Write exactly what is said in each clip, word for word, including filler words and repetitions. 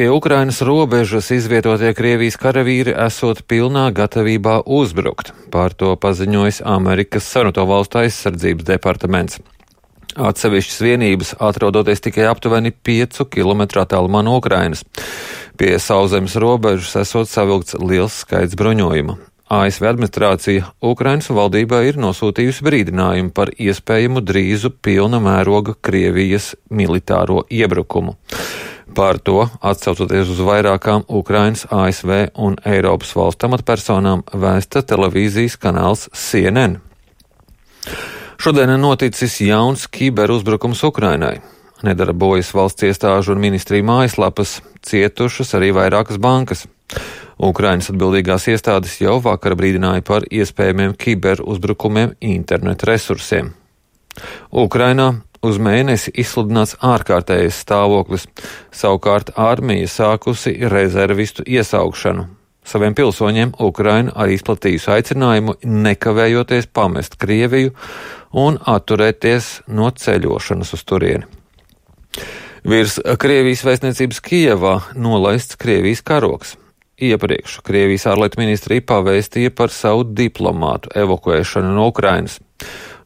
Pie Ukrainas robežas izvietotie Krievijas karavīri esot pilnā gatavībā uzbrukt. Par to paziņojis Amerikas Savienoto Valstu aizsardzības departaments. Atsevišķas vienības atrodoties tikai aptuveni piecu kilometru attālumā no Ukrainas. Pie sauszemes robežas esot savilkts liels skaits bruņojuma. A S V administrācija Ukrainas valdībā ir nosūtījusi brīdinājumu par iespējamu drīzu pilna mēroga Krievijas militāro iebrukumu. Par to, atsaucoties uz vairākām Ukrainas, A S V un Eiropas valstu amatpersonām, vēsta televīzijas kanāls C N N. Šodien noticis jauns kiberuzbrukums Ukrainai. Nedarbojas valsts iestāžu un ministriju mājaslapas, cietušas arī vairākas bankas. Ukrainas atbildīgās iestādes jau vakar brīdināja par iespējamiem kiberuzbrukumiem internetu resursiem. Ukrainā uz mēnesi izsludināts ārkārtējais stāvoklis, savukārt armija sākusi rezervistu iesaukšanu. Saviem pilsoņiem Ukraina arī izplatījusi aicinājumu nekavējoties pamest Krieviju un atturēties no ceļošanas uz turieni. Virs Krievijas vēstniecības Kijevā nolaists Krievijas karoks. Iepriekš Krievijas ārlietu ministrija pavēstīja par savu diplomātu evakuēšanu no Ukrainas.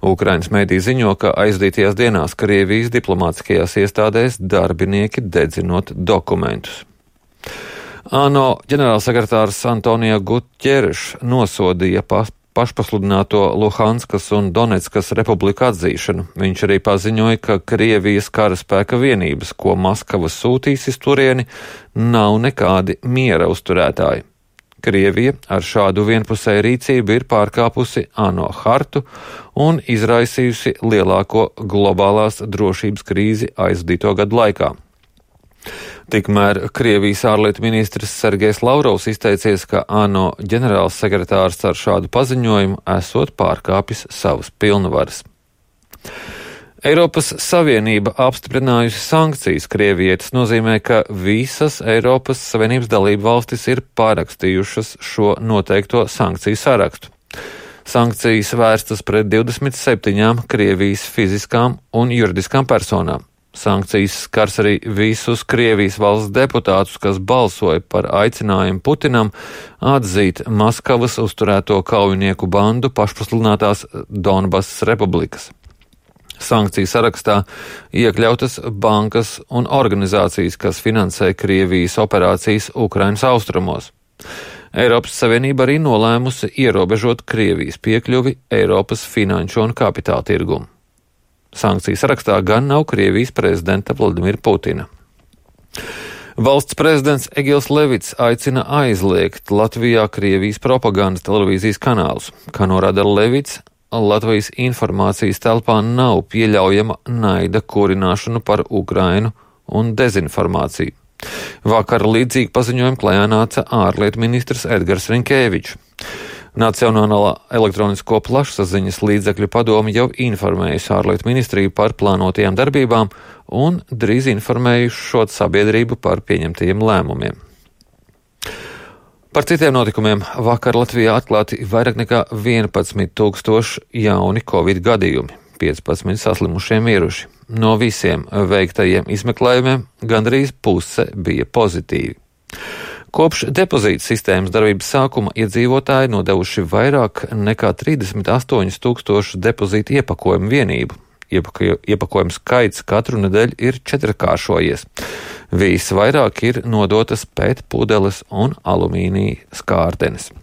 Ukrainas mēdī ziņo, ka aizdītajās dienās Krievijas diplomātiskajās iestādēs darbinieki dedzinot dokumentus. ANO ģenerālsekretārs Antonio Guterres nosodīja pa, pašpasludināto Luhanskas un Donetskas republiku atzīšanu. Viņš arī paziņoja, ka Krievijas karaspēka vienības, ko Maskava sūtīs uz turieni, nav nekādi miera uzturētāji. Krievija ar šādu vienpusēju rīcību ir pārkāpusi ANO hartu un izraisījusi lielāko globālās drošības krīzi aizdīto gadu laikā. Tikmēr Krievijas ārlietu ministrs Sergejs Lavrovs izteicies, ka ANO ģenerāls sekretārs ar šādu paziņojumu esot pārkāpis savas pilnvaras. Eiropas Savienība apstiprinājusi sankcijas Krievijai. Tas nozīmē, ka visas Eiropas Savienības dalību valstis ir pārakstījušas šo noteikto sankciju sarakstu. Sankcijas vērstas pret divdesmit septiņām Krievijas fiziskām un juridiskām personām. Sankcijas skars arī visus Krievijas valsts deputātus, kas balsoja par aicinājumu Putinam atzīt Maskavas uzturēto kaujinieku bandu pašpasludinātās Donbasas republikas. Sankciju sarakstā iekļautas bankas un organizācijas, kas finansē Krievijas operācijas Ukrainas austrumos. Eiropas Savienība arī nolēmusi ierobežot Krievijas piekļuvi Eiropas finanšu un kapitāla tirgumu. Sankciju sarakstā gan nav Krievijas prezidenta Vladimira Putina. Valsts prezidents Egils Levits aicina aizliegt Latvijā Krievijas propagandas televīzijas kanālus. Kā norāda Levits, Latvijas informācijas telpā nav pieļaujama naida kurināšana par Ukrainu un dezinformāciju. Vakar līdzīgi paziņojumu klajā nāca ārlietu ministrs Edgars Rinkēvičs. Nacionālā elektronisko plašsaziņas līdzekļu padome jau informējusi ārlietu ministriju par plānotajām darbībām un drīz informējušot sabiedrību par pieņemtajiem lēmumiem. Par citiem notikumiem vakar Latvijā atklāti vairāk nekā vienpadsmit tūkstoši jauni covid gadījumi, piecpadsmit saslimušie miruši. No visiem veiktajiem izmeklējumiem gandrīz puse bija pozitīvi. Kopš depozīta sistēmas darbības sākuma iedzīvotāji nodevuši vairāk nekā trīsdesmit astoņus tūkstošus depozīta iepakojumu vienību. Iepakojumu skaits katru nedēļu ir četrkāršojies. Visvairāk ir nodotas pētpudeles un alumīnija skārtenes.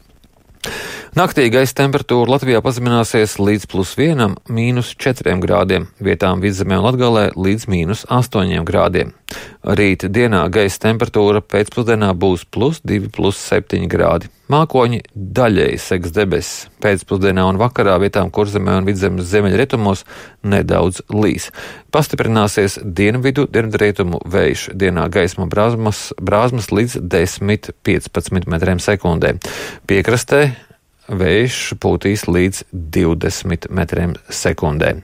Naktī gaisa temperatūra Latvijā pazemināsies līdz plus vienam, mīnus četriem grādiem, vietām Vidzemē un Latgalē līdz mīnus astoņiem grādiem. Rīt dienā gaisa temperatūra pēcpusdienā būs plus divi, plus septiņi grādi. Mākoņi daļēji segs debesis. Pēcpusdienā un vakarā vietām Kurzemē un Vidzemes ziemeļrietumos nedaudz līs. Pastiprināsies dienvidu, dienvidrietumu vējš. Dienā gaisma brāzmas, brāzmas līdz desmit līdz piecpadsmit metriem sekundē. Piekrastē vējš pūtīs līdz divdesmit metriem sekundē.